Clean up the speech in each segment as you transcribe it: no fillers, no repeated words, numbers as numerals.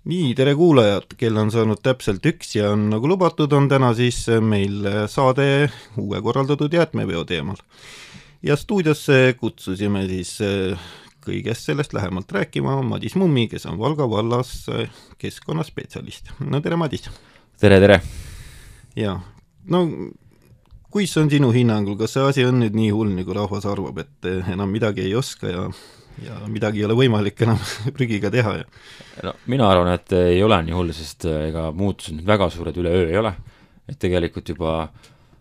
Nii, tere kuulajad, kell on saanud täpselt 1 ja on nagu lubatud, on täna siis meil saade uue korraldatud jäätmeveo teemal. Ja stuudiosse kutsusime siis kõigest sellest lähemalt rääkima Madis Mummi, kes on Valga vallas keskkonnaspetsialist. No tere, Madis! Tere, tere! Ja, no kuis on sinu hinnangul, kas see asi on nüüd nii hull, nagu rahvas arvab, et enam midagi ei oska ja midagi ei ole võimalik enam prügiga teha? No, mina arvan, et ei ole nii hull, sest ega muutused nüüd väga suured üleöö ei ole. Et tegelikult juba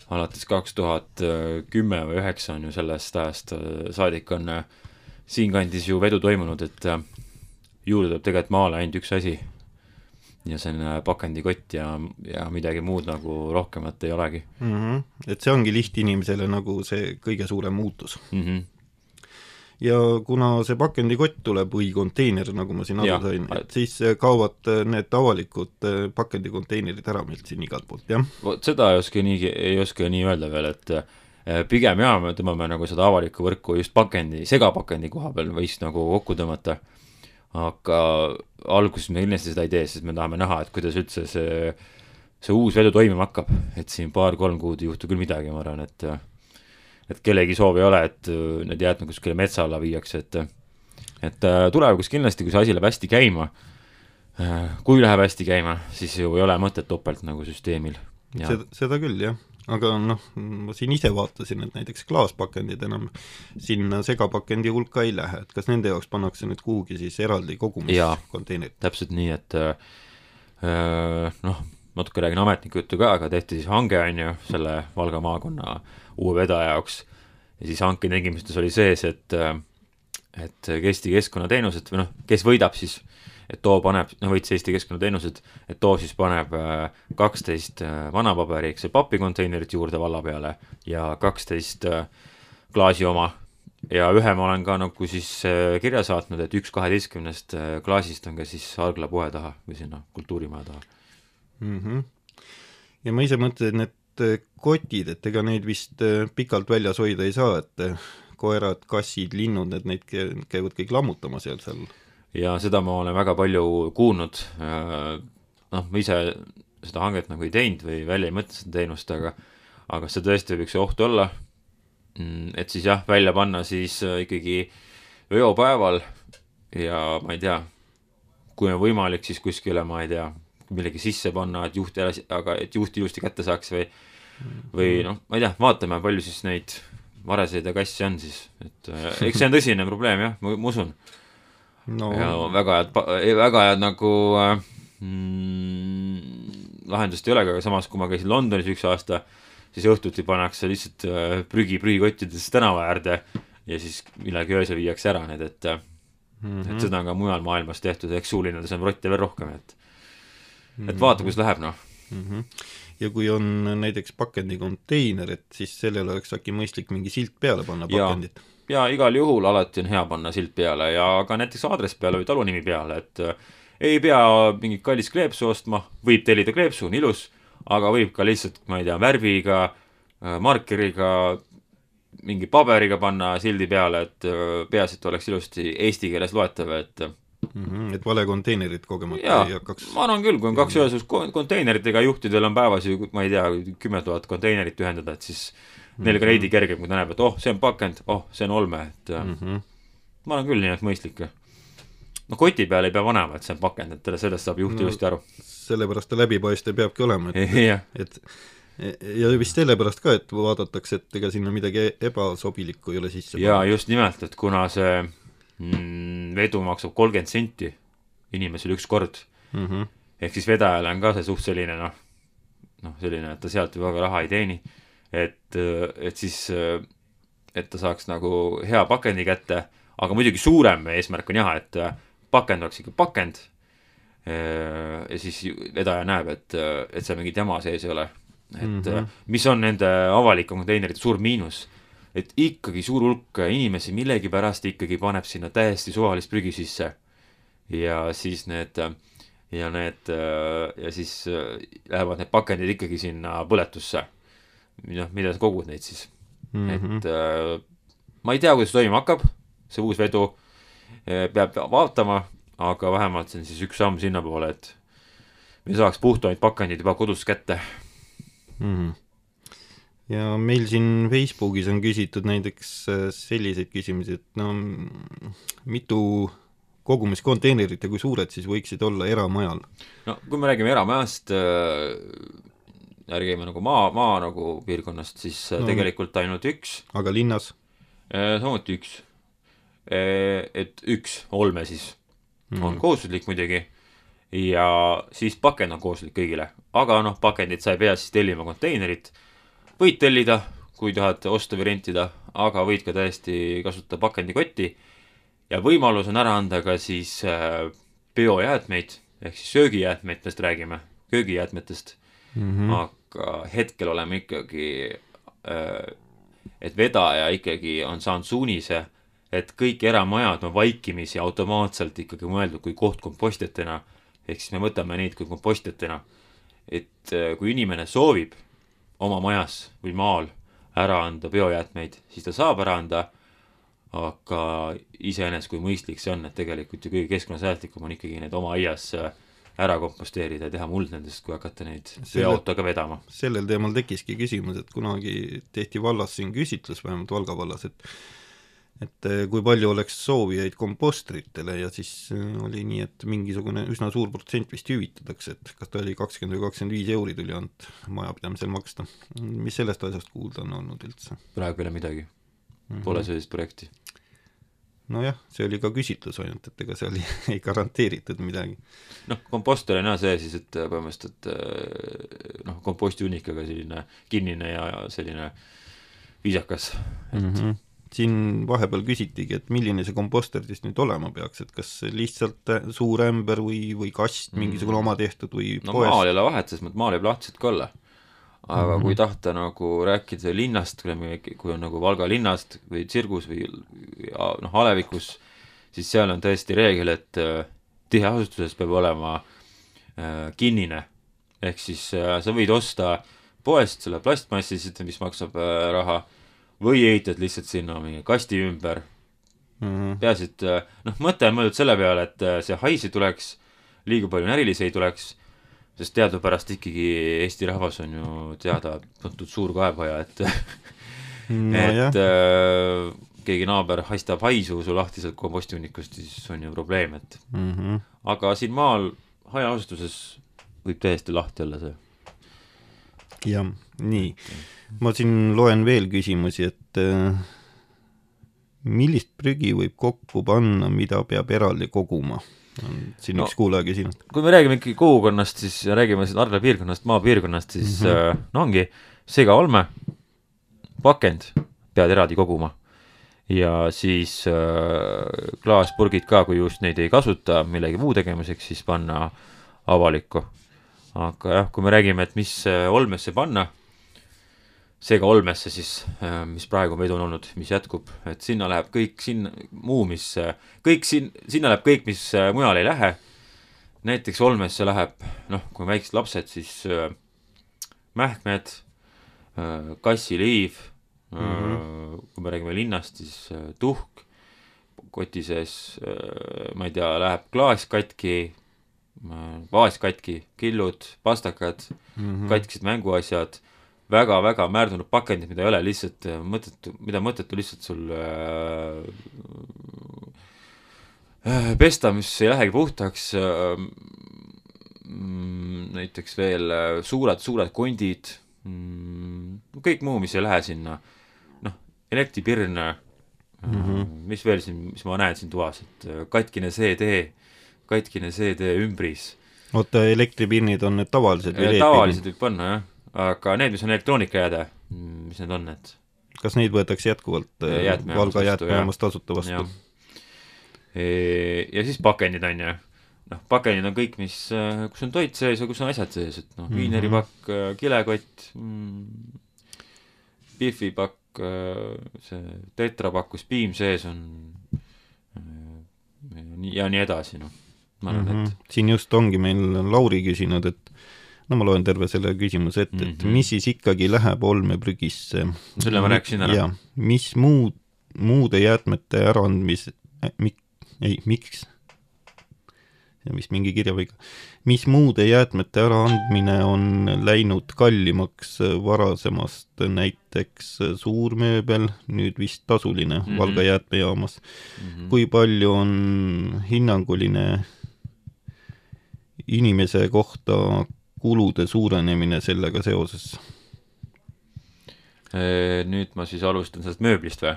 alates 2010 või 2009 on ju sellest ajast saadik on siinkandis ju vedu toimunud, et juurde tuleb tegelikult maale ainult üks asi ja see on pakendikott ja midagi muud nagu rohkemat ei olegi. Et see ongi lihtinimesele nagu see kõige suurem muutus. Ja kuna see pakendikott tuleb või konteiner, nagu ma siin aru sain, et siis kaovad need avalikud pakendikonteinerid ära meilt siin igalt poolt, jah? Seda ei oska nii öelda veel, et pigem me tõmbame nagu seda avalikku võrku just segapakendi koha peal võiks nagu kokku tõmmata, aga alguses me kindlasti seda ei tee, sest me tahame näha, et kuidas üldse see uus vedu toimima hakkab, et siin 2-3 kuud ei juhtu küll midagi, ma arvan, et kellegi soov ei ole, et need jäätmed kuskile metsa alla viiakse, et tulevikus kindlasti, kui see asi läheb hästi käima, kui läheb hästi käima, siis ju ei ole mõtet topelt nagu süsteemil. Seda küll, jah. Aga ma siin ise vaatasin, et näiteks klaaspakendid enam sinna segapakendi hulka ei lähe, et kas nende jaoks pannakse nüüd kuhugi siis eraldi kogumiskonteinerid? Täpselt nii, et natuke räägin ametniku juttu ka, aga tehti siis hange on ju selle Valga maakonna uue vedaja jaoks ja siis hanke tegimistes oli sees, et Eesti keskkonnateenused või kes võidab siis, et too paneb, võits Eesti keskkonnateenused, et too siis paneb 12 vanapaberi, see papikonteinerit juurde valla peale ja 12 klaasi oma ja ühe ma olen ka nagu siis kirja saatnud, et 1/12 klaasist on ka siis Algla poe taha või sinna kultuurimaja taha. Ja ma ise mõtlen, et kotid, et ega neid vist pikalt väljas hoida ei saa, et koerad, kassid, linnud, et neid käivad kõik lammutama seal. Ja seda ma olen väga palju kuulnud, ma ise seda hanget nagu ei teinud või välja ei mõtle seda teenust, aga see tõesti võib üks oht olla, et siis välja panna siis ikkagi veopäeval ja ma ei tea, kui on võimalik, siis kuskile, ma ei tea, millegi sisse panna, et juht ilusti kätte saaks või ma ei tea, vaatame, palju siis neid vareseid ja kassi on siis, et eks see on tõsine probleem, jah, ma usun. Ja väga head nagu lahendust ei ole, aga samas, kui ma käisin Londonis üks aasta, siis õhtuti pannakse lihtsalt prügikottides tänava äärde ja siis millegi öösel viiakse ära need, et seda on ka mujal maailmas tehtud, eks suulinnades on rotte veel rohkem, et vaata, kus läheb, Ja kui on näiteks pakendikonteiner, et siis sellel oleks äkki mõistlik mingi silt peale panna pakendit? Ja igal juhul alati on hea panna silt peale ja ka näiteks aadress peale või talunimi peale, et ei pea mingit kallis kleepsu ostma, võib tellida kleepsu, on ilus, aga võib ka lihtsalt, ma ei tea, värviga, markeriga, mingi paberiga panna sildi peale, et peas, et oleks ilusti eesti keeles loetav, et vale konteinerid kogemata ei hakkaks. Ma arvan küll, kui on 2 ühesus konteineritega juhtidel on päevas ju, ma ei tea, 10 000 konteinerit ühendada, et siis neil ka reidi kergem, kui ta näeb, et see on pakend, see on olme, et ma arvan küll nii, et mõistlik. Koti peal ei pea vanema, et see on pakend, et sellest saab juht ilusti aru. Sellepärast ta läbipaistev peabki olema, ja vist sellepärast ka, et vaadatakse, et ega sinna midagi ebasobilikku ei ole sisse. Ja just nimelt, et kuna see vedu maksab 30 senti inimesel üks kord, ehk siis vedajale on ka see suht selline, selline, et ta sealt ju väga raha ei teeni, et siis, et ta saaks nagu hea pakendi kätte, aga muidugi suurem eesmärk on et pakend oleks ikka pakend ja siis vedaja näeb, et see mingit jama sees ei ole, et mis on nende avalike konteinerite suur miinus, et ikkagi suur hulk inimesi millegi pärast ikkagi paneb sinna täiesti suvalist prügi sisse ja siis siis lähevad need pakendid ikkagi sinna põletusse, mida sa kogud neid siis. Et ma ei tea, kuidas toimuma hakkab, see uus vedu peab vaatama, aga vähemalt see on siis üks samm sinna poole, et me saaks puhtamaid pakendid juba kodus kätte. Ja meil siin Facebookis on küsitud näiteks selliseid küsimusi, et no mitu kogumiskonteinerit ja kui suured siis võiksid olla eramajal? No kui me räägime eramajast, räägime nagu maa nagu piirkonnast, siis tegelikult ainult üks. Aga linnas? Samuti üks. Et üks olme siis on kohustuslik muidugi ja siis pakend on kohustuslik kõigile. Aga noh, pakendid sa ei pea siis tellima konteinerit. Võid tellida, kui tahad osta või rentida, aga võid ka täiesti kasutada pakendikotti ja võimalus on ära anda ka siis biojäätmeid ehk siis söögijäätmetest räägime, köögijäätmetest. Aga hetkel oleme ikkagi, et vedaja ikkagi on saanud suunise, et kõik eramajad on vaikimisi automaatselt ikkagi mõeldud kui koht kompostjatena, ehk siis me võtame neid kui kompostjatena, et kui inimene soovib oma majas või maal ära anda biojäätmeid, siis ta saab ära anda, aga iseenesest kui mõistlik see on, et tegelikult ju kõige keskkonnasäästlikum on ikkagi need oma aias ära komposteerida ja teha muld nendest, kui hakata neid veoautoga vedama. Sellel teemal tekkiski küsimus, et kunagi tehti vallas siin küsitlus, vähemalt Valga vallas, et kui palju oleks soovijaid kompostritele ja siis oli nii, et mingisugune üsna suur protsent vist hüvitatakse, et kas ta oli 20 või 25 euri tuli ainult majapidamisel maksta. Mis sellest asjast kuulda on olnud üldse? Praegu pole midagi. Pole sellist projekti. Nojah, see oli ka küsitlus ainult, et ega seal ei garanteeritud midagi. Noh, komposter on see siis, et põhimõtteliselt, et komposti unnikaga selline kinnine ja selline viisakas, et siin vahepeal küsitigi, et milline see komposter siis nüüd olema peaks, et kas lihtsalt suur ämber või kast, mingisugune oma tehtud või no poes? Maal ei ole vahet, sest maal jääb lahtiselt ka olla. Aga kui tahta nagu rääkida linnast, kui on nagu Valga linnast või Tsirgus või Alevikus, siis seal on tõesti reegel, et tiheasustuses peab olema kinnine. Ehk siis sa võid osta poest selle plastmassi, mis maksab raha, või ehitad lihtsalt sinna mingi kasti ümber. Peaasi, et mõte on mõeldud selle peale, et see haisi tuleks, liiga palju närilisi ei tuleks, sest teadupärast ikkagi Eesti rahvas on ju teada tuntud suur kaebaja, et keegi naaber haistab haisu su lahtiselt kompostiunnikust, siis on ju probleem, et aga siin maal hajaasustuses võib täiesti lahti olla see. Jah, nii. Ma siin loen veel küsimusi, et millist prügi võib kokku panna, mida peab eraldi koguma? Siin üks kuulaja küsinud. Kui me räägime ikkagi kogukonnast, siis räägime Arla piirkonnast, maapiirkonnast, siis ongi sega olme, pakend pead eraldi koguma ja siis klaaspurgid ka, kui just neid ei kasuta millegi muu tegemiseks, siis panna avalikku. Aga jah, kui me räägime, et mis olmesse panna, seega olmesse siis, mis praegu meid on olnud, mis jätkub, et sinna läheb kõik sinna läheb kõik, mis mujal ei lähe. Näiteks olmesse läheb, kui väiksed lapsed, siis mähkmed, kassiliiv, kui me räägime linnast, siis tuhk, koti sees, ma ei tea, läheb klaas katki, vaas katki, killud, pastakad, katkised mänguasjad, väga-väga määrdunud pakendid, mida ei ole lihtsalt mõttetu lihtsalt sul pesta, mis ei lähegi puhtaks, näiteks veel suured kondid, kõik muu, mis ei lähe sinna, elektripirn, mis veel siin, mis ma näen siin toas, et katkine CD ümbris. Oota, elektripirnid on need tavalised või tavalised võib panna, jah. Aga need, mis on elektroonikajääde, mis need on need? Kas neid võetakse jätkuvalt Valga jäätmejaamast tasuta vastu? Ja siis pakendid on ju. Pakendid on kõik, kus on toit sees ja kus on asjad sees, et viineripakk, kilekott, bifipakk, see tetrapakk, kus piim sees on ja nii edasi. Ma arvan, et siin just ongi meil Lauri küsinud, et ma loen terve selle küsimuse ette, et mis siis ikkagi läheb olmeprügisse? Selle ma rääkisin ära. Ja, mis muude jäätmete äraandmis... miks? vist mingi kirjaviga. Mis muude jäätmete äraandmine on läinud kallimaks varasemast, näiteks suurmööbel, nüüd vist tasuline Valga jäätmejaamas. Kui palju on hinnanguline inimese kohta kulude suurenemine sellega seoses? Nüüd ma siis alustan sellest mööblist või?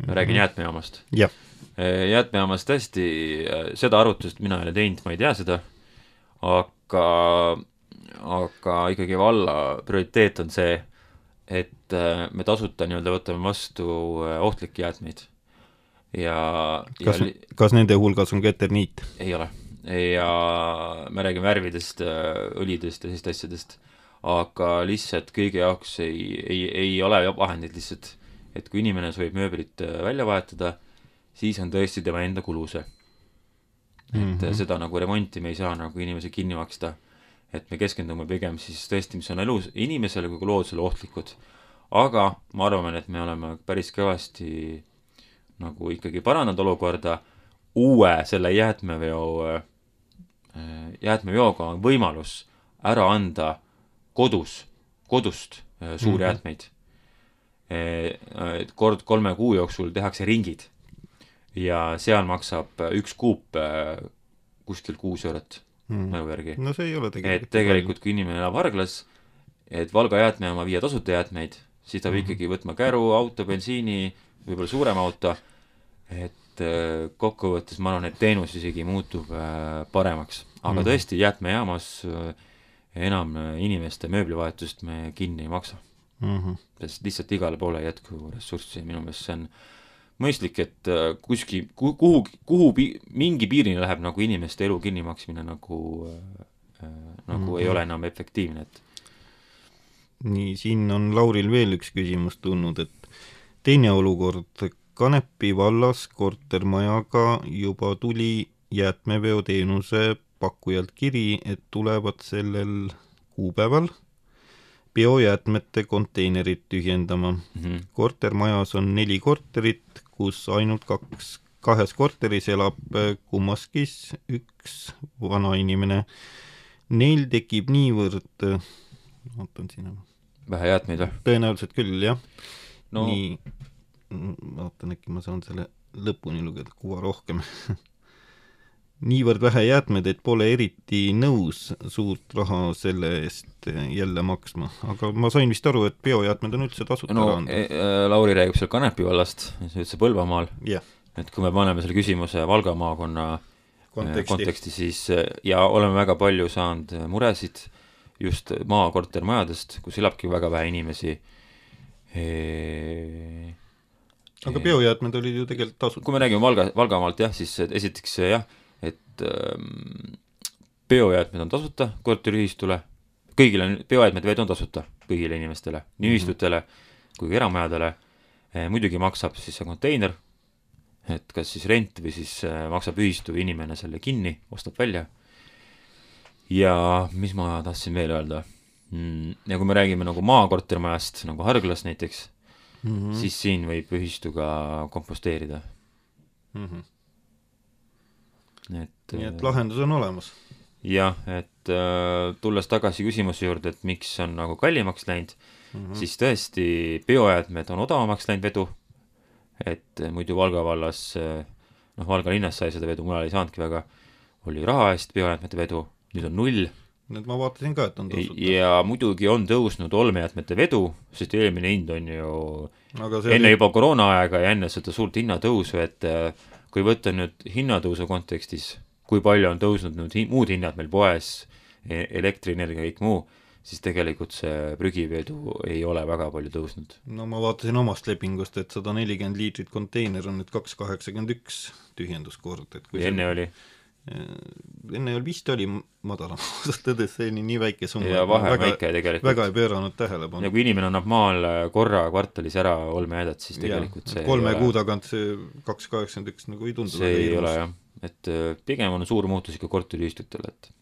Ma räägin jäätmejaamast. Jah. Jäätmejaamas tõesti seda arvutust mina ei ole teinud, ma ei tea seda, aga ikkagi valla prioriteet on see, et me tasuta nii-öelda võtame vastu ohtlikke jäätmeid. Kas nende hulgas on ka eterniit? Ei ole. Ja me räägime värvidest, õlidest ja sellist asjadest, aga lihtsalt kõige jaoks ei ole vahendid lihtsalt, et kui inimene soovib mööblit välja vahetada, siis on tõesti tema enda kulu see. Et seda nagu remonti me ei saa nagu inimese kinni maksta, et me keskendume pigem siis tõesti, mis on elus inimesele kui loodusele ohtlikud. Aga ma arvan, et me oleme päris kõvasti nagu ikkagi parandanud olukorda uue selle jäätmeveoga on võimalus ära anda kodust suuri jäätmeid. Kord 3 kuu jooksul tehakse ringid ja seal maksab 1 kuup kuskil 6 eurot mõju järgi. No see ei ole tegelikult. Et tegelikult kui inimene elab Varglas, et Valga jäätmejaama viia tasuta jäätmeid, siis ta võib ikkagi võtma käru, auto, bensiini, võib-olla suurem auto, et kokkuvõttes ma arvan, et teenus isegi muutub paremaks. Aga tõesti jäätmejaamas enam inimeste mööblivahetust me kinni ei maksa. Sest lihtsalt igale poole jätku ressurssi. Minu meelest see on mõistlik, et kuhu mingi piirini läheb nagu inimeste elu kinni maksmine nagu ei ole enam efektiivne. Nii, siin on Lauril veel üks küsimus tulnud, et teine olukord Kanepi vallas kortermajaga juba tuli jäätmeveoteenuse pakkujalt kiri, et tulevad sellel kuupäeval biojäätmete konteinerid tühjendama. Kortermajas on 4 korterit, kus ainult 2 korteris elab kummaskis 1 vana inimene. Neil tekib niivõrd vähe jäätmeid või? Tõenäoliselt küll, jah. No. Nii, vaatan, äkki ma saan selle lõpuni lugeda, kuva rohkem. Niivõrd vähe jäätmed, et pole eriti nõus suurt raha selle eest jälle maksma. Aga ma sain vist aru, et biojäätmed on üldse tasuta Lauri räägib seal Kanepi vallast, see üldse Põlvamaal. Yeah. Et kui me paneme selle küsimuse Valga maakonna konteksti, siis ja oleme väga palju saanud muresid just maakortermajadest, kus elabki väga vähe inimesi. Aga biojäätmed olid ju tegelikult tasuta. Kui me räägime Valgamaalt, jah, siis esiteks jah, et biojäätmed on tasuta korteriühistule, kõigile biojäätmed veed on tasuta kõigile inimestele, nii ühistutele kui eramajadele. Muidugi maksab siis see konteiner, et kas siis rent või siis maksab ühistu inimene selle kinni, ostab välja. Ja mis ma tahtsin veel öelda? Ja kui me räägime nagu maakortermajast, nagu Harglas näiteks, siis siin võib ühistuga komposteerida. Nii et lahendus on olemas. Jah, et tulles tagasi küsimuse juurde, et miks on nagu kallimaks läinud, siis tõesti biojäätmed on odavamaks läinud vedu, et muidu Valga vallas, Valga linnas sai seda vedu, mul ei saanudki väga, oli raha eest biojäätmete vedu, nüüd on 0. Nüüd ma vaatasin ka, et on tasuta. Ja muidugi on tõusnud olmejäätmete vedu, sest eelmine hind on ju enne juba koroona aega ja enne seda suurt hinnatõusu, et kui võtta nüüd hinnatõusu kontekstis, kui palju on tõusnud nüüd muud hinnad meil poes, elektrienergia ja kõik muu, siis tegelikult see prügivedu ei ole väga palju tõusnud. No ma vaatasin omast lepingust, et 140 liitrit konteiner on nüüd 2,81 tühjenduskord. Enne oli? Enne vist oli madalam, tõdes see nii väike summa. Ja vahe väike tegelikult. Väga ei pööranud tähelepanu. Ja kui inimene annab maal korra kvartalis ära olmejäädet, siis tegelikult see 3 kuu tagant see 2,81 nagu ei tundu. See ei ole jah, et pigem on suur muutus ikka korteriühistutel, et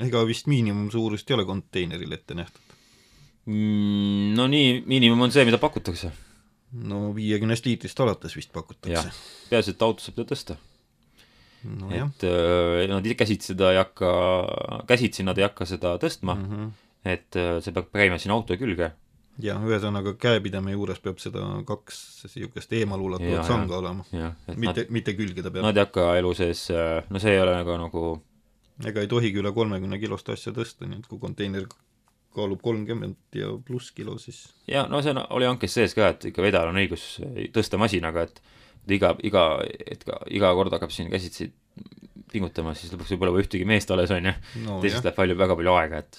ega vist miinimum suurust ei ole konteineril ette nähtud. No nii, miinimum on see, mida pakutakse. No 50 liitrist alates vist pakutakse. Peaasi, et auto saab tõsta. no, et nad käsitsi nad ei hakka seda tõstma, et see peab käima siin auto külge. Ja ühesõnaga käepideme juures peab seda 2 niisugust eemalulatuvat sanga olema. Mitte külgeda peab. Nad ei hakka elu sees, no see ei ole nagu ega ei tohigi üle 30 kilost asja tõsta, nii et kui konteiner kaalub 30 ja pluss kilo, siis ja no see oli hankes sees ka, et ikka vedajal on õigus tõsta masinaga, et iga kord hakkab siin käsitsi pingutama, siis lõpuks võib olla ühtegi meest alles on ja teisest läheb väga palju aega, et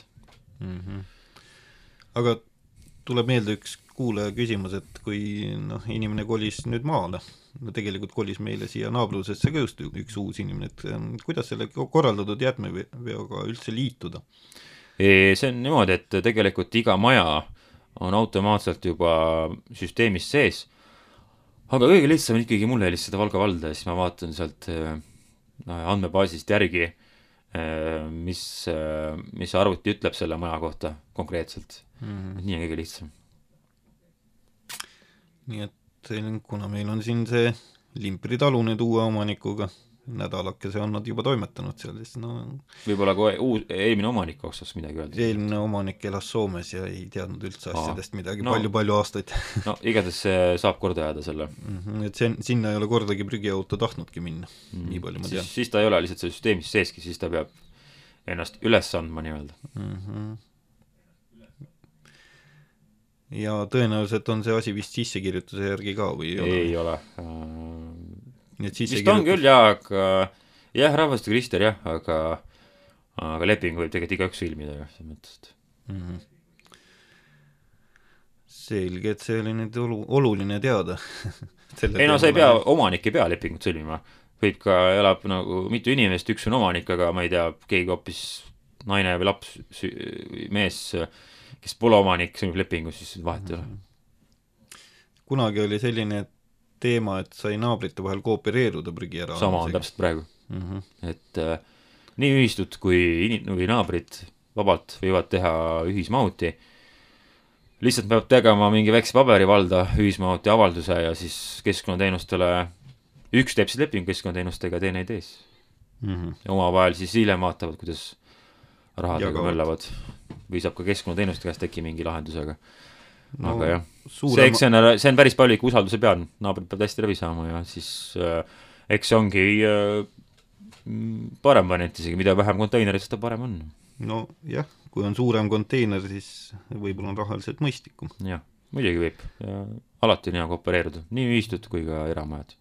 Aga tuleb meelde üks kuulaja küsimus, et kui inimene kolis nüüd maale, tegelikult kolis meile siia naabrusesse ka just üks uus inimene, et kuidas selle korraldatud jäätmeveoga üldse liituda? See on niimoodi, et tegelikult iga maja on automaatselt juba süsteemis sees, aga kõige lihtsam ikkagi mulle helistada Valga valda ja siis ma vaatan sealt andmebaasist järgi, mis arvuti ütleb selle maja kohta konkreetselt. Nii on kõige lihtsam. Nii et kuna meil on siin see Limpri talu nüüd uue omanikuga, nädalakese on nad juba toimetanud seal, siis võib-olla kui eelmine omanik oksas midagi öelda. Eelmine omanik elas Soomes ja ei teadnud üldse asjadest midagi palju aastaid. No igatahes saab korda jääda selle. Et sinna ei ole kordagi prügiauto tahtnudki minna, nii palju ma tean. Siis ta ei ole lihtsalt selle süsteemis seeski, siis ta peab ennast üles andma nii-öelda. Ja tõenäoliselt on see asi vist sissekirjutuse järgi ka või ei ole? Vist on küll, aga rahvastikuregister aga leping võib tegelikult igaüks sõlmida jah, mõttest. Selge, et see oli nüüd oluline teada. Ei no sa ei pea, omanik ei pea lepingut sõlmima. Võib ka elab nagu mitu inimest, üks on omanik, aga ma ei tea, keegi hoopis naine või laps, mees, kes pole omanik, sõlmib lepingu, siis vahet ei ole. Kunagi oli selline teema, et sai naabrite vahel koopereeruda prügi ära. Sama on täpselt praegu. Et nii ühistud kui naabrid vabalt võivad teha ühismahuti. Lihtsalt peab tegema mingi väikse paberivalda ühismahuti avalduse ja siis keskkonnateenustele üks teeb siis leping keskkonnateenustega, teine ei tees. Ja omavahel siis hiljem vaatavad, kuidas rahadega möllavad. Või saab ka keskkonnateenuste käest teki mingi lahendusega. Aga jah, see on päris palju ikka usalduse peal, naabrid peab hästi läbi saama ja siis eks see ongi parem variant isegi, mida vähem konteinerit, seda parem on. No jah, kui on suurem konteiner, siis võib-olla on rahaliselt mõistlikum. Jah, muidugi võib. Ja alati on hea koopereeruda, nii ühistud kui ka eramajad.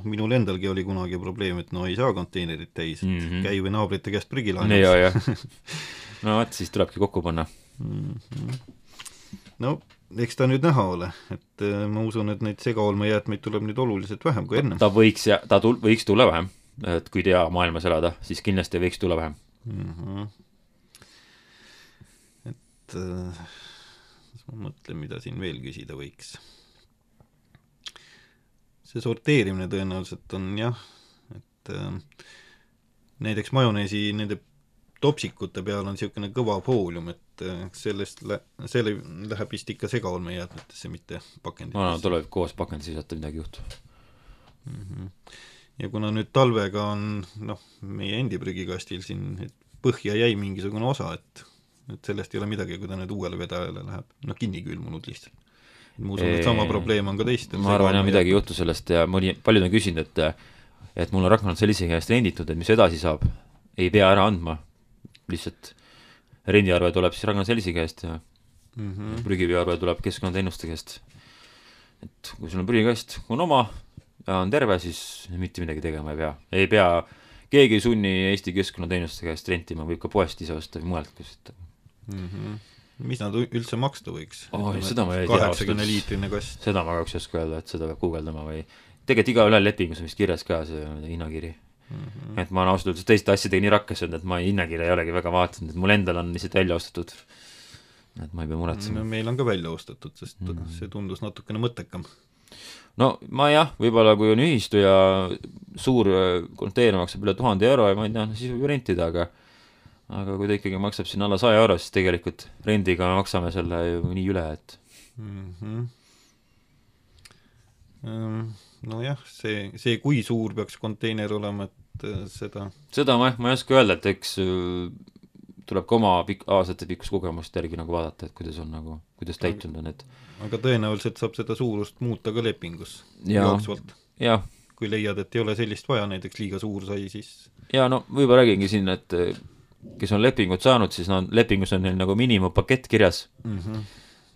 Minul endalgi oli kunagi probleem, et ei saa konteinerit täis, käi või naabrite käest prügila. No vaat, siis tulebki kokku panna. No, eks ta nüüd näha ole, et ma usun, et neid segaolmejäätmeid tuleb nüüd oluliselt vähem kui enne. Ta võiks tulla vähem, et kui tea maailmas elada, siis kindlasti võiks tulla vähem. Et ma mõtlen, mida siin veel küsida võiks. See sorteerimine tõenäoliselt on et näiteks majoneesi nende topsikute peal on niisugune kõva foolium, et selle läheb vist ikka segaolmejäätmetesse, mitte pakenditesse. No tuleb koos pakendis visata, midagi juhtu. Ja kuna nüüd talvega on meie endi prügikastil siin põhja jäi mingisugune osa, et sellest ei ole midagi, kui ta nüüd uuele vedajale läheb. Kinni külmunud lihtsalt. Ma usun, et sama probleem on ka teist. Ma arvan, midagi juhtu sellest ja paljud on küsinud, et mul on Ragnar sellise käest renditud, et mis edasi saab, ei pea ära andma. Lihtsalt rendiarve tuleb siis Ragnar sellise käest ja prügiveoarve tuleb keskkonnateenuste käest. Et kui sul on prügikast, kui on oma ja on terve, siis mitte midagi tegema ei pea. Keegi ei sunni Eesti keskkonnateenuste käest rentima, võib ka poest ise osta või mujalt küsida. Mis nad üldse maksta võiks? Seda ma ei tea. 80 liitrine kast. Seda ma kahjuks ei oska öelda, et seda peab guugeldama või tegelikult iga üle lepingus on vist kirjas ka see hinnakiri. Et ma olen ausalt teiste asjadega nii rakkes olnud, et ma hinnakirja ei olegi väga vaatanud, et mul endal on lihtsalt välja ostetud, et ma ei pea muretsema. Meil on ka välja ostetud, sest see tundus natukene mõttekam. No ma võib-olla kui on ühistu ja suur konteiner maksab üle 1000 euro ja ma ei tea, siis võib rentida, aga kui ta ikkagi maksab siin alla 100 euro, siis tegelikult rendiga maksame selle ju nii üle, et nojah, see kui suur peaks konteiner olema, et seda ma ei oska öelda, et eks tuleb ka oma aastate pikkust kogemust järgi nagu vaadata, et kuidas on nagu, kuidas täitunud on, et aga tõenäoliselt saab seda suurust muuta ka lepingus jooksvalt. kui leiad, et ei ole sellist vaja, näiteks liiga suur sai, siis ja no võib-olla räägingi siin, et kes on lepingut saanud, siis lepingus on neil nagu miinimumpakett kirjas.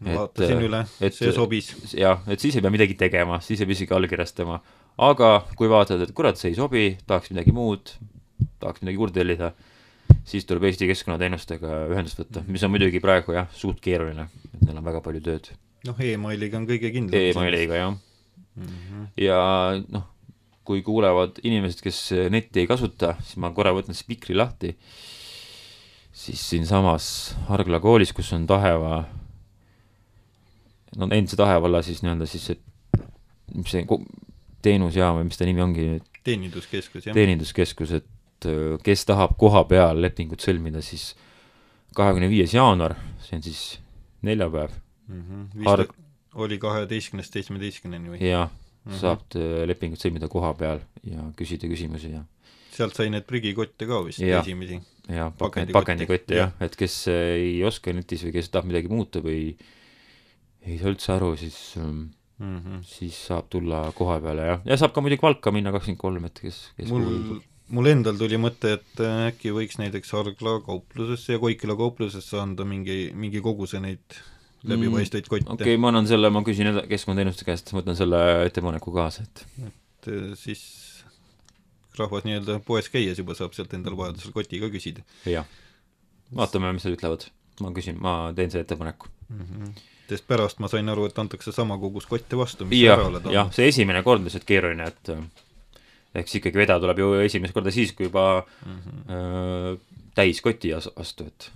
Vaatasin üle, see sobis. Jah, et siis ei pea midagi tegema, siis ei pea isegi allkirjastama. Aga kui vaatad, et kurat, see ei sobi, tahaks midagi muud, tahaks midagi juurde tellida, siis tuleb Eesti keskkonnateenustega ühendust võtta, mis on muidugi praegu jah, suht keeruline, et neil on väga palju tööd. Noh, e-mailiga on kõige kindlam. E-mailiga, jah. Ja noh, kui kuulevad inimesed, kes netti ei kasuta, siis ma korra võtan spikri lahti, siis siin samas Hargla koolis, kus on Taheva, no endise Tahevalla siis nii-öelda siis see, mis see teenusjaam või mis ta nimi ongi? Teeninduskeskus, jah. Teeninduskeskus, et kes tahab koha peal lepingut sõlmida, siis 25. jaanuar, see on siis neljapäev. Oli 12.17 või? Jah, saab lepingut sõlmida koha peal ja küsida küsimusi ja sealt sai need prügikotte ka vist esimesi. Ja pakendikotte, jah, et kes ei oska netis või kes tahab midagi muuta või ei saa üldse aru, siis saab tulla koha peale ja saab ka muidugi Valka minna 23, et kes mul endal tuli mõte, et äkki võiks näiteks Hargla kauplusesse ja Koikila kauplusesse anda mingi koguse neid läbipaistvaid kotte. Okei, ma küsin keskkonnateenuste käest, ma võtan selle ettepaneku kaasa, et siis rahvas nii-öelda poes käies juba saab sealt endal vajadusel koti ka küsida. Jah, vaatame, mis nad ütlevad. Ma teen selle ettepaneku. Sest pärast ma sain aru, et antakse sama kogus kotte vastu, mis ära oled olnud. Jah, see esimene kord lihtsalt keeruline, et eks ikkagi veda tuleb ju esimest korda siis, kui juba täiskoti vastu, et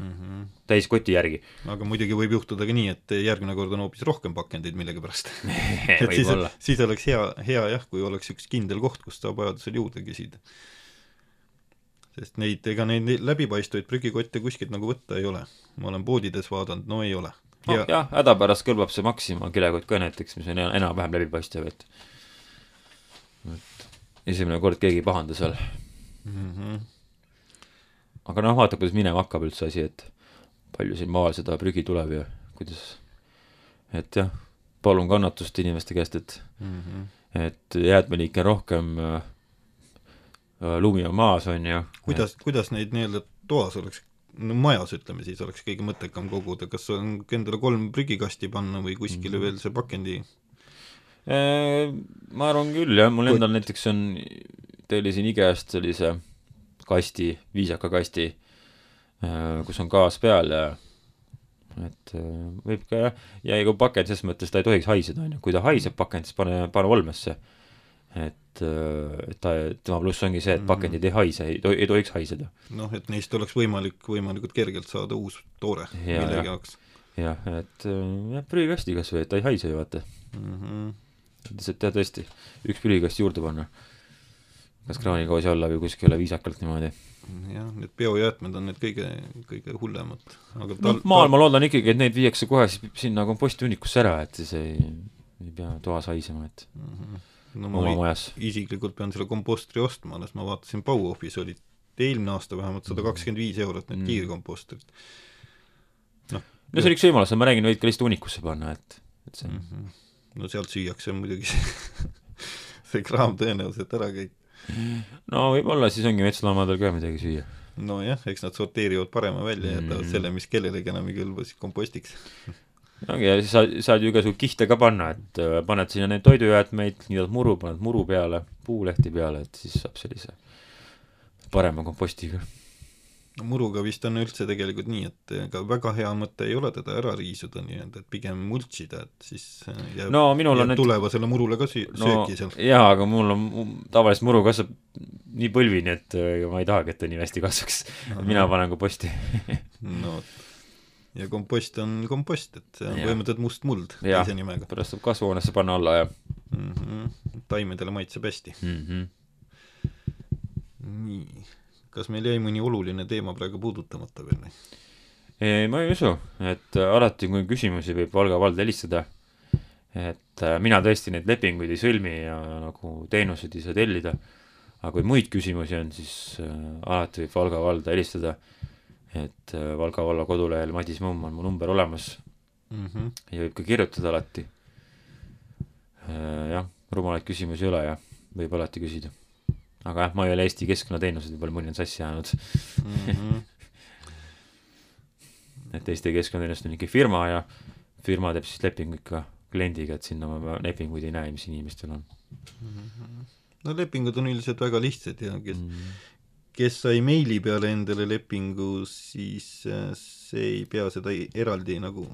täiskoti järgi. Aga muidugi võib juhtuda ka nii, et järgmine kord on hoopis rohkem pakendeid millegi pärast. siis oleks hea jah, kui oleks üks kindel koht, kus saab vajadusel juurde küsida. Sest neid läbipaistvaid prügikotte kuskilt nagu võtta ei ole. Ma olen poodides vaadanud, no ei ole. Jah, hädapärast kõlbab see Maxima kilekott ka näiteks, mis on enam-vähem läbipaistev, et esimene kord keegi pahanda seal. Aga noh, vaata, kuidas minema hakkab üldse asi, et palju siin maal seda prügi tuleb ja kuidas, et jah, palun kannatust inimeste käest, et jäätmeliike rohkem lumi on maas, on ju. Kuidas neid nii-öelda toas oleks, no majas ütleme siis, oleks kõige mõttekam koguda, kas on endale 3 prügikasti panna või kuskile veel see pakendi? Ma arvan küll, jah, mul endal näiteks tellisin IKEA-st sellise kasti, viisaka kasti, kus on gaas peal ja et võib ka ja kui pakend ses mõttes ta ei tohiks haiseda, on ju, kui ta haiseb pakend, siis pane olmesse, et tema pluss ongi see, et pakendid ei haise, ei tohiks haiseda. Noh, et neist oleks võimalikult kergelt saada uus toore millegi jaoks. Jah, et prügikasti kas või, et ta ei haise ju vaata. Lihtsalt tõesti, üks prügikasti juurde panna. Kas kraanikoosi alla või kuskile viisakalt niimoodi. Jah, need biojäätmed on need kõige hullemad. Maal ma loodan ikkagi, et neid viiakse kohe sinna kompostihunnikusse ära, et siis ei pea toas haisema, et oma majas. Isiklikult pean selle kompostri ostma, alles ma vaatasin Bauhofis oli eelmine aasta vähemalt 125 eurot need kiirkompostrid. No see on üks võimalus, ma räägin, võid ka lihtsalt hunnikusse panna, et see no sealt süüakse muidugi see kraam tõenäoliselt ära kõik. No võib-olla siis ongi metsloomadel ka midagi süüa. No jah, eks nad sorteerivad parema välja ja jätavad selle, mis kellelegi enam ei kõlba siis kompostiks. Ja siis saad ju igasugu kihte ka panna, et paned sinna neid toidujäätmeid, niidad muru, paned muru peale, puulehti peale, et siis saab sellise parema kompostiga. No muruga vist on üldse tegelikult nii, et ega väga hea mõte ei ole teda ära riisuda nii-öelda, et pigem multsida, et siis jääb tulevasele murule ka sööki seal. Jaa, aga mul on tavaliselt muru kasvab nii põlvini, et ma ei tahagi, et ta nii hästi kasvaks. Mina panen komposti. No, ja kompost on kompost, et see on põhimõtteliselt must muld teise nimega. Pärast saab kasvuhoonesse panna alla ja taimedele maitseb hästi. Nii. Kas meil jäi mõni oluline teema praegu puudutamata veel? Ma ei usu, et alati kui küsimusi võib Valga vald helistada et mina tõesti neid lepinguid ei sõlmi ja nagu teenuseid ei saa tellida, aga kui muid küsimusi on, siis alati võib Valga valda helistada, et Valga valla kodulehel Madis Mumm on mu number olemas ja võib ka kirjutada alati. Jah, rumalaid küsimusi ei ole ja võib alati küsida. Aga jah, ma ei ole Eesti keskkonnateenused, võib-olla mõni on sassi jäänud. Et Eesti keskkonnateenused on ikka firma ja firma teeb siis lepingu ikka kliendiga, et sinna ma lepinguid ei näe, mis inimestel on. No lepingud on üldiselt väga lihtsad ja kes sai meili peale endale lepingu, siis see ei pea seda eraldi nagu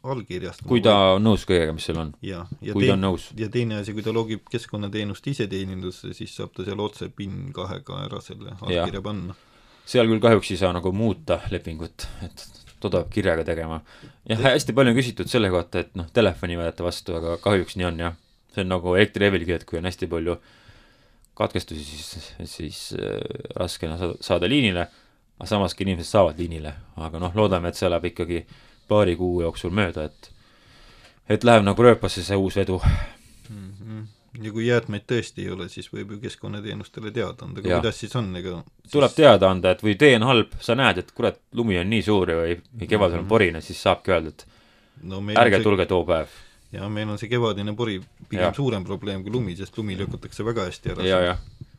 allkirjastama. Kui ta on nõus kõigega, mis seal on. Kui ta on nõus. Ja teine asi, kui ta logib keskkonnateenust iseteenindusse, siis saab ta seal otse PIN 2 ära selle allkirja panna. Seal küll kahjuks ei saa nagu muuta lepingut, et toda peab kirjaga tegema. Ja hästi palju on küsitud selle kohta, et telefoni võeta vastu, aga kahjuks nii on, jah. See on nagu elektrilevilgi, et kui on hästi palju katkestusi, siis raskena saada liinile, aga samas ka inimesed saavad liinile. Aga loodame, et see läheb ikkagi paari kuu jooksul mööda, et läheb nagu rööpasse see uus vedu. Ja kui jäätmeid tõesti ei ole, siis võib ju keskkonnateenustele teada anda, aga kuidas siis on? Tuleb teada anda, et või tee on halb, sa näed, et kurat, lumi on nii suur või kevadel on porine, siis saabki öelda, et ärge tulge too päev. Ja meil on see kevadine pori pigem suurem probleem kui lumi, sest lumi lükatakse väga hästi ära.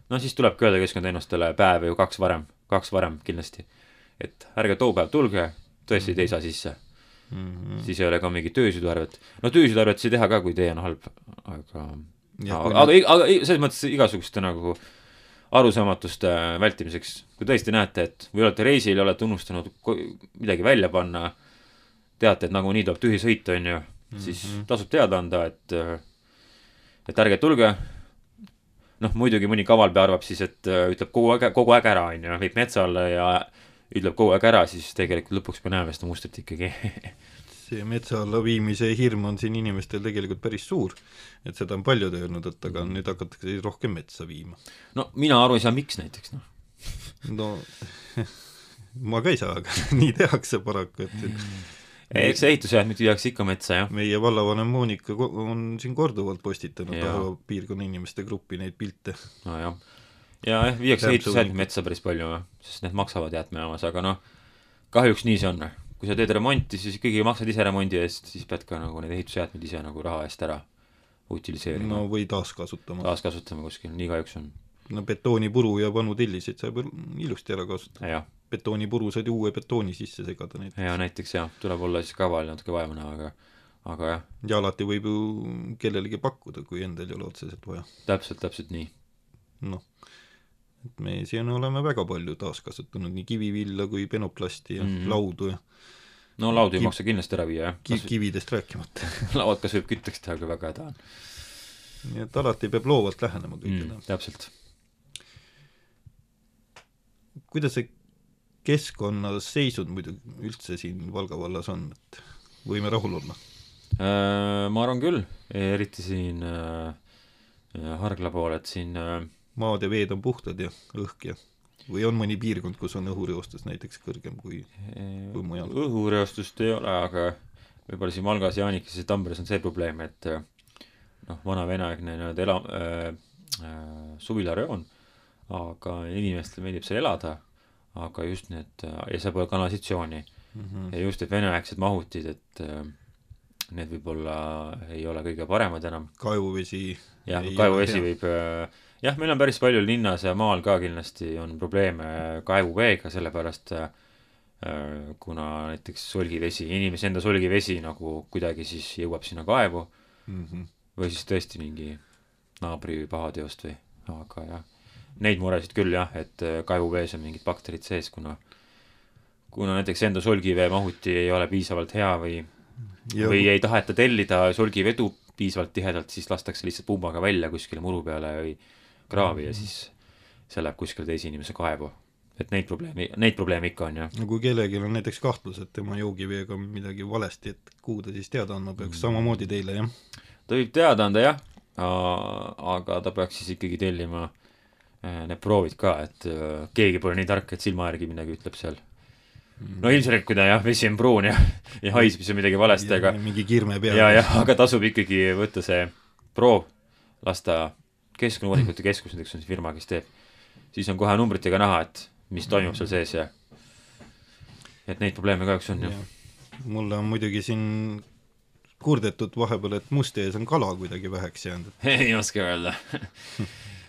No siis tuleb öelda keskkonnateenustele päev ju kaks varem kindlasti, et ärge too päev tulge, tõesti te ei saa sisse. Siis ei ole ka mingi töösüdarvet. Töösüdarvet see teha ka, kui tee on halb, aga selles mõttes igasuguste nagu arusaamatuste vältimiseks, kui tõesti näete, et või olete reisil ja olete unustanud midagi välja panna, teate, et nagu nii tuleb tühi sõita, on ju, siis tasub teada anda, et ärge tulge. Muidugi mõni kavalpea arvab siis, et ütleb kogu aeg ära, on ju, viib metsa alla ja ütleb kogu aeg ära, siis tegelikult lõpuks me näeme seda mustrit ikkagi. See metsa alla viimise hirm on siin inimestel tegelikult päris suur, et seda on paljud öelnud, et aga nüüd hakatakse rohkem metsa viima. Mina aru ei saa, miks näiteks, ma ka ei saa, aga nii tehakse paraku, eks see ehitusjäätmed viiakse ikka metsa, jah. Meie vallavanem Moonika on siin korduvalt postitanud piirkonna inimeste gruppi neid pilte. Ja viiakse ehitusjäätmed metsa päris palju, sest need maksavad jäätmejaamas, aga kahjuks nii see on. Kui sa teed remonti, siis ikkagi maksad ise remondi eest, siis pead ka nagu need ehitusjäätmed ise nagu raha eest ära utiliseerima. Või taaskasutama. Taaskasutama kuskil, nii kahjuks on. Betoonipuru ja vanu telliseid saab ilusti ära kasutada. Betoonipuru saad uue betooni sisse segada näiteks. Ja näiteks tuleb olla siis kaval natuke vaevana, aga jah. Ja alati võib ju kellelegi pakkuda, kui endal ei ole otseselt vaja. Täpselt nii. Et me siin oleme väga palju taaskasutanud, nii kivivilla kui penoplasti ja laudu ja laudu ei maksa kindlasti ära viia, jah. Kividest rääkimata. Lauad kas võib kütteks teha, kui väga häda on. Nii et alati peab loovalt lähenema kõigile. Täpselt. Kuidas see keskkonnas seisud muidu üldse siin Valga vallas on, et võime rahul olla? Ma arvan küll, eriti siin Hargla pool, et siin maad ja veed on puhtad ja õhk ja või on mõni piirkond, kus on õhureostus näiteks kõrgem kui mujal? Õhureostust ei ole, aga võib-olla siin Valgas, Jaanikes ja Tamberes on see probleem, et vana veneaegne suvilareon, aga inimestel meeldib seal elada, aga just need, ja see pole kanalisatsiooni ja just need veneaegsed mahutid, et need võib-olla ei ole kõige paremad enam. Kaevuvesi võib meil on päris palju linnas ja maal ka kindlasti on probleeme kaevuveega, sellepärast kuna näiteks solgivesi, inimese enda solgivesi nagu kuidagi siis jõuab sinna kaevu või siis tõesti mingi naabri pahateost või, aga jah, neid muresid küll jah, et kaevuvees on mingid bakterid sees, kuna näiteks enda solgivee mahuti ei ole piisavalt hea või ei taheta tellida solgivedu piisavalt tihedalt, siis lastakse lihtsalt pumbaga välja kuskile muru peale või kraavi ja siis see läheb kuskile teise inimese kaevu. Et neid probleeme ikka on, jah. No kui kellelgi on näiteks kahtlus, et tema joogiveega midagi valesti, et kuhu ta siis teada andma peaks, samamoodi teile, jah? Ta võib teada anda, jah, aga ta peaks siis ikkagi tellima need proovid ka, et keegi pole nii tark, et silma järgi midagi ütleb seal. no ilmselt, kui ta jah, vesi on pruun ja haiseb, siis on midagi valesti, aga mingi kirme peal. aga tasub ikkagi võtta see proov, lasta Keskkonnauuringute Keskus, näiteks on see firma, kes teeb, siis on kohe numbritega näha, et mis toimub seal sees ja et neid probleeme kahjuks on ju. Mulle on muidugi siin kurdetud vahepeal, et Musti ees on kala kuidagi väheks jäänud. Ei oska öelda.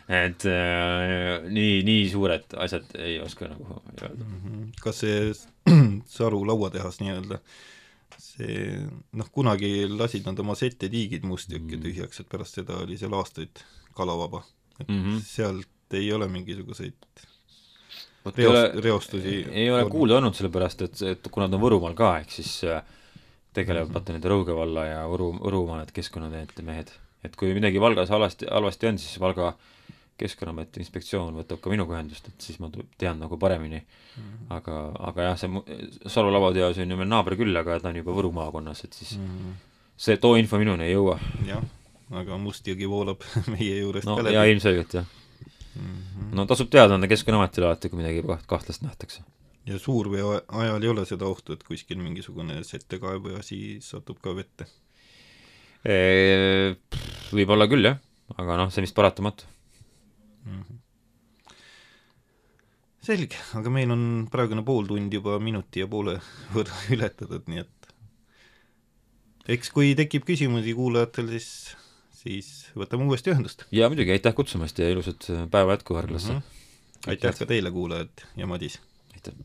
Et nii suured asjad ei oska nagu öelda. Kas see Saru lauatehas nii-öelda, see, kunagi lasid nad oma setetiigid Mustjõkke tühjaks, et pärast seda oli seal aastaid kalavaba. Et sealt ei ole mingisuguseid reostusi. Ei ole kuulda olnud sellepärast, et kuna ta on Võrumaal ka, ehk siis tegelevad vaata nende Rõuge valla ja Võrumaa need keskkonnateed mehed. Et kui midagi Valgas halvasti on, siis Valga Keskkonnameti inspektsioon võtab ka minuga ühendust, et siis ma tean nagu paremini. Aga jah, see Saru lauatehas on ju meil naaber küll, aga ta on juba Võru maakonnas, et siis see too info minuni ei jõua. Jah, aga Mustjõgi voolab meie juurest no, ka läbi. Ja ilmselgelt, jah. No tasub teada anda Keskkonnaametile alati, kui midagi kahtlast nähtakse. Ja suurveo ajal ei ole seda ohtu, et kuskil mingisugune settekaev või asi satub ka vette? Võib olla küll, jah. Aga see vist paratamatu. Selge, aga meil on praegune pool tund juba minuti ja poole võrra ületatud, nii et eks kui tekib küsimusi kuulajatel, siis võtame uuesti ühendust. Ja muidugi, aitäh kutsumast ja ilusat päeva jätku Harglasse. Aitäh ka teile, kuulajad ja Madis. Aitäh.